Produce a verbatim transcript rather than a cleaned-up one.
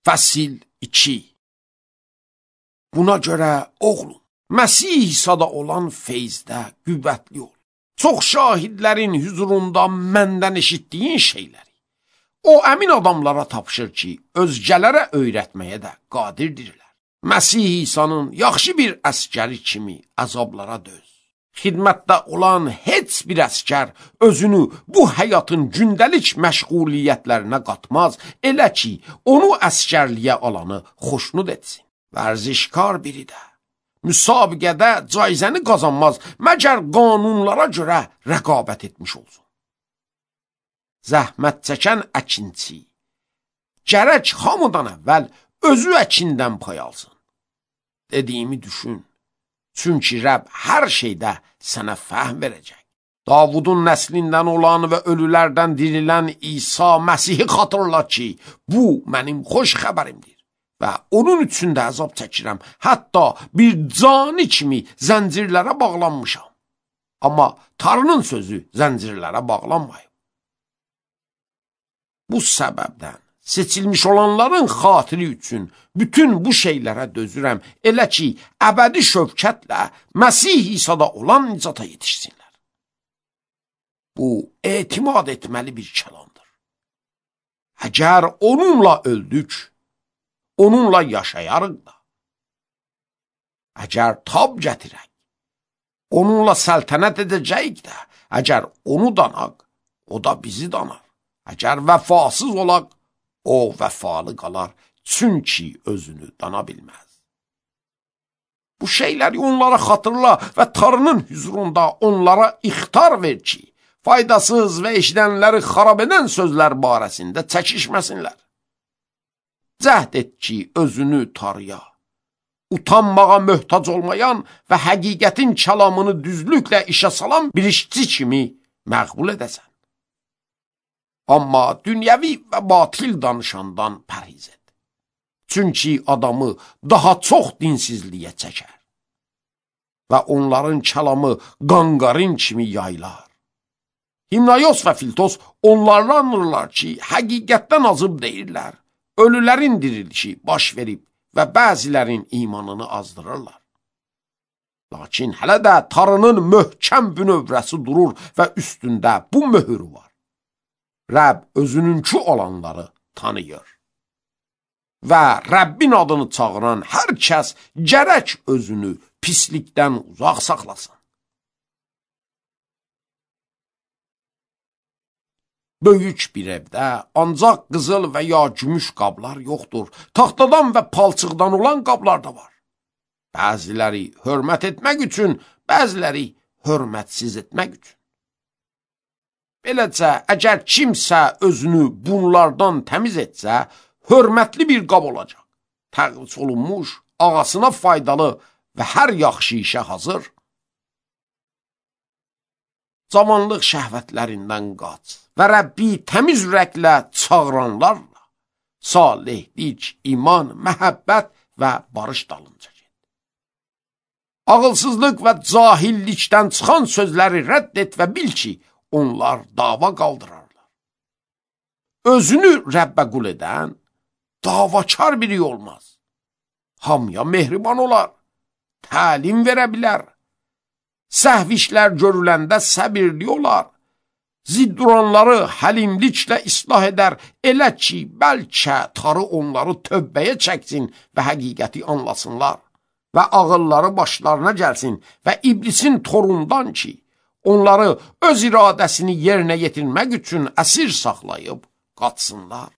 Fəsil iki. Buna görə oğlum, Məsih İsa'da olan feyzdə qüvvətli ol. Çox şahidlərin huzurunda məndən eşitdiyin şeyləri o əmin adamlara tapşır ki, özgələrə öyrətməyə də qadirdirlər. Məsih İsa'nın yaxşı bir əskəri kimi əzablara döz. Xidmətdə olan heç bir əskər özünü bu həyatın gündəlik məşğuliyyətlərinə qatmaz, elə ki, onu əskərliyə alanı xoşnud etsin. Vərzişkar biri də müsabiqədə caizəni qazanmaz, məgər qanunlara görə rəqabət etmiş olsun. Zəhmət çəkən əkinçi gərək hamıdan əvvəl özü əkindən pay alsın. Dediyimi düşün, çünki Rəbb hər şeydə sənə fəhm verəcək. Davudun nəslindən olan və ölülərdən dirilən İsa Məsihi xatırla ki, bu mənim xoş xəbərimdir və onun üçün də əzab çəkirəm. Hətta bir cani kimi zəncirlərə bağlanmışam. Amma Tanrının sözü zəncirlərə bağlanmayıb. Bu səbəbdən seçilmiş olanların xatiri üçün bütün bu şeylərə dözürəm, elə ki, əbədi şövkətlə Məsih İsa'da olan nicata yetişsinlər. Bu, etimad etməli bir kəlamdır. Əgər onunla öldük, onunla yaşayarıq da. Əgər tab gətirək, onunla səltənət edəcəyik də. Əgər onu danaq, o da bizi danar. Əgər vəfasız olaq, o vəfalı qalar, çünki özünü dana bilməz. Bu şeyləri onlara xatırla və Tanrının huzurunda onlara ixtar ver ki, faydasız və eşidənləri xarab edən sözlər barəsində çəkişməsinlər. Cəhd et ki, özünü Tanrıya, utanmağa möhtac olmayan və həqiqətin kəlamını düzlüklə işə salan bir işçi kimi məqbul edəsən. Amma dünyəvi və batil danışandan pərhiz et. Çünki adamı daha çox dinsizliyə çəkər və onların kəlamı qanqarın kimi yaylar. Himnayos və Filtos onlarlanırlar ki, həqiqətdən azıb deyirlər. Ölülərin dirilişi baş verib və bəzilərin imanını azdırırlar. Lakin hələ də Tanrının möhkəm bünövrəsi durur və üstündə bu möhür var. Rəbb özününkü olanları tanıyır. Və Rəbbin adını çağıran hər kəs gərək özünü pislikdən uzaq saxlasın. Böyük bir evdə ancaq qızıl və ya gümüş qablar yoxdur. Taxtadan və palçıqdan olan qablar da var. Bəziləri hörmət etmək üçün, bəziləri hörmətsiz etmək üçün. Beləcə, əgər kimsə özünü bunlardan təmiz etsə, hörmətli bir qab olacaq. Təqvis olunmuş, ağasına faydalı və hər yaxşı işə hazır. Cavanlıq şəhvətlərindən qaç və Rəbbi təmiz ürəklə çağıranlarla salihlik, iman, məhəbbət və barış dalınca get. Ağılsızlıq və cahillikdən çıxan sözləri rədd et və bil ki, onlar dava qaldırarlar. Özünü Rəbbə qul edən davakar biri olmaz. Hamıya mehriban olar, təlim verə bilər. Səhv işlər görüləndə səbirli olar. Zidduranları həlimliklə islah edər, elə ki, bəlkə Tanrı onları tövbəyə çəksin və həqiqəti anlasınlar və ağılları başlarına gəlsin və iblisin torundan ki, onları öz iradəsini yerinə yetirmək üçün əsir saxlayıb qaçsınlar.